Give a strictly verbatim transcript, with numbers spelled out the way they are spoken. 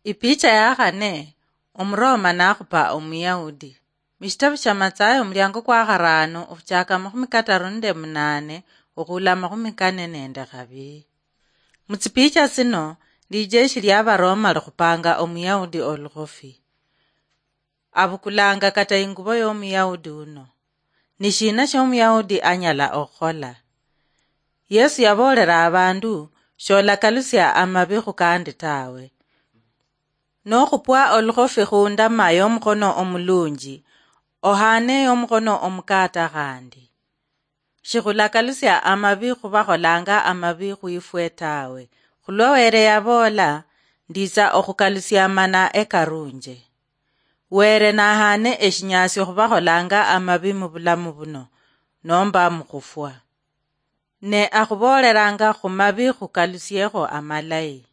Ipicha ya khane, Omuroma nakhupa Omuyahudi. Mushitabu shia Matsayo, omuliango kwa kharano, okhuchaka makhumi kataru nende munane, okhula makhumi kane nende khabiri. Mutsipicha tsino, lijeshi lia Baroma likhupanga Omuyahudi olukhofi. Abukulanga kata ingubo y'Omuyahudi uno. Ni shina sh'Omuyahudi anyala okhukhola? Yesu yaboolera abandu, "Sholakalusia amabi khukandi tawe. Nokhupwa olukhofi khundama y'omukhono omulunji, ohane y'omukhono omukata khandi." Shikhulakalusia amabi khubakholanga amabi khwifwe tawe. Khulwa Were yaboola, "Nditsa okhukalusia amana ekarunje." Were nahane eshinyasio khubakholanga amabi mubulamu buno, nomba mukhufwa. Ne akhubooleranga khumabi khukalusiekho amalayi.